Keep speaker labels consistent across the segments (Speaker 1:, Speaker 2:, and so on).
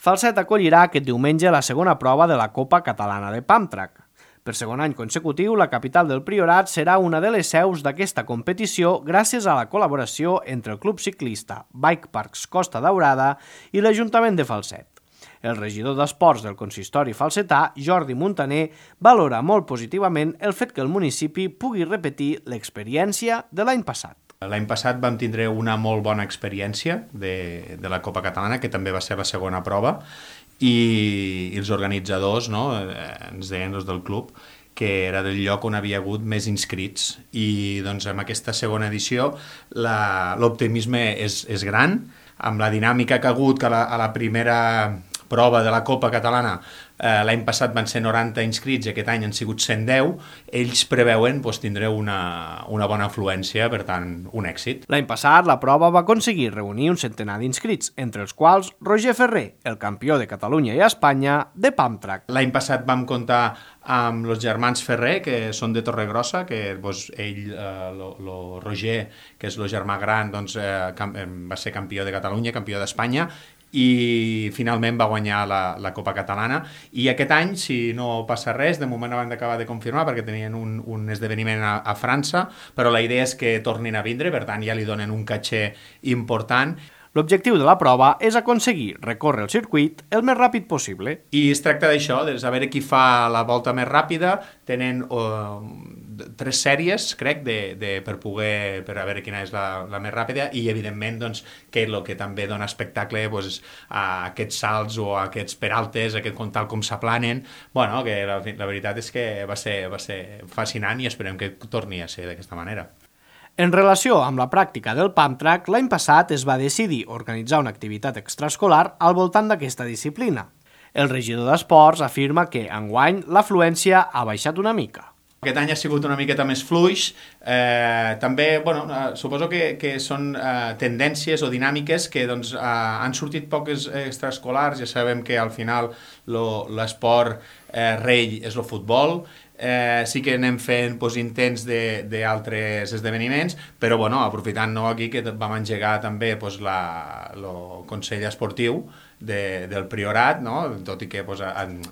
Speaker 1: Falset acollirà aquest diumenge la segona prova de la Copa Catalana de Pump Track. Per segon any consecutiu, la capital del Priorat serà una de les seus d'aquesta competició gràcies a la col·laboració entre el Club Ciclista Bike Parks Costa Daurada i l'Ajuntament de Falset. El regidor d'Esports del consistori falsetà, Jordi Muntaner, valora molt positivament el fet que el municipi pugui repetir l'experiència de l'any passat.
Speaker 2: L'any passat vam tindre una molt bona experiència de la Copa Catalana, que també va ser la segona prova, i els organitzadors ens deien, els del club, que era del lloc on havia hagut més inscrits. I doncs, amb aquesta segona edició l'optimisme és gran, amb la dinàmica que ha hagut, que a la primera prova de la Copa Catalana l'any passat van ser 90 inscrits i aquest any han sigut 110, ells preveuen tindre una bona afluència, per tant, un èxit.
Speaker 1: L'any passat la prova va aconseguir reunir un centenar d'inscrits, entre els quals Roger Ferrer, el campió de Catalunya i Espanya de Pump Track.
Speaker 2: L'any passat vam comptar amb els germans Ferrer, que són de Torregrossa, que ell, el Roger, que és el germà gran, va ser campió de Catalunya, campió d'Espanya, i finalment va guanyar la Copa Catalana. I aquest any, si no passa res, de moment no van acabar de confirmar perquè tenien un esdeveniment a França, però la idea és que tornin a vindre, per tant ja li donen un caché important.
Speaker 1: L'objectiu de la prova és aconseguir recórrer el circuit el més ràpid possible.
Speaker 2: I es tracta d'això, de saber qui fa la volta més ràpida. Tenen 3 sèries, crec, per a veure quina és la més ràpida, i evidentment que el que també dona espectacle a aquests salts o a aquests peraltes, tal com s'aplanen. Bueno, que la veritat és que va ser fascinant i esperem que torni a ser d'aquesta manera.
Speaker 1: En relació amb la pràctica del Pump Track, l'any passat es va decidir organitzar una activitat extraescolar al voltant d'aquesta disciplina. El regidor d'Esports afirma que, enguany, l'afluència ha baixat una mica.
Speaker 2: Aquest any ha sigut una miqueta més fluix. També, suposo que són tendències o dinàmiques que han sortit poques extraescolars. Ja sabem que al final l'esport rei és el futbol. Sí que anem fent intents d'altres esdeveniments, però aprofitant aquí que vam engegar també el Consell Esportiu del Priorat, tot i que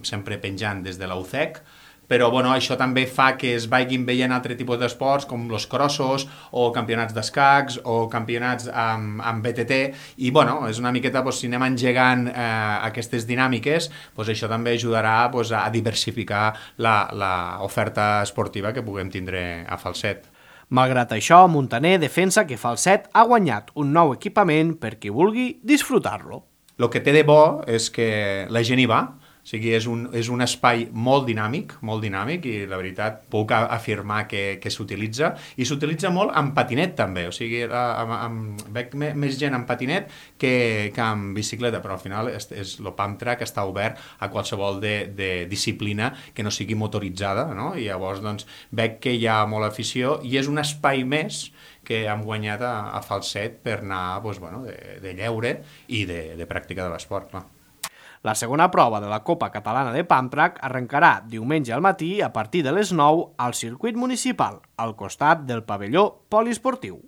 Speaker 2: sempre penjant des de la UCEC, però això també fa que es vagin veient altre tipus d'esports com els crossos o campionats d'escacs o campionats amb BTT, i és una miqueta, si anem engegant aquestes dinàmiques, això també ajudarà a diversificar l'oferta esportiva que puguem tindre a Falset.
Speaker 1: Malgrat això, Muntaner defensa que Falset ha guanyat un nou equipament per qui vulgui disfrutar-lo.
Speaker 2: El que té de bo és que la gent hi va. O sigui, és un espai molt dinàmic, i la veritat puc afirmar que s'utilitza, i s'utilitza molt amb patinet també, o sigui, veig més gent amb patinet que amb bicicleta, però al final el Pump Track està obert a qualsevol de disciplina que no sigui motoritzada, i llavors veig que hi ha molta afició i és un espai més que hem guanyat a Falset per anar de lleure i de pràctica de l'esport, clar.
Speaker 1: La segona prova de la Copa Catalana de Pump Track arrencarà diumenge al matí a partir de les 9 al circuit municipal, al costat del pavelló poliesportiu.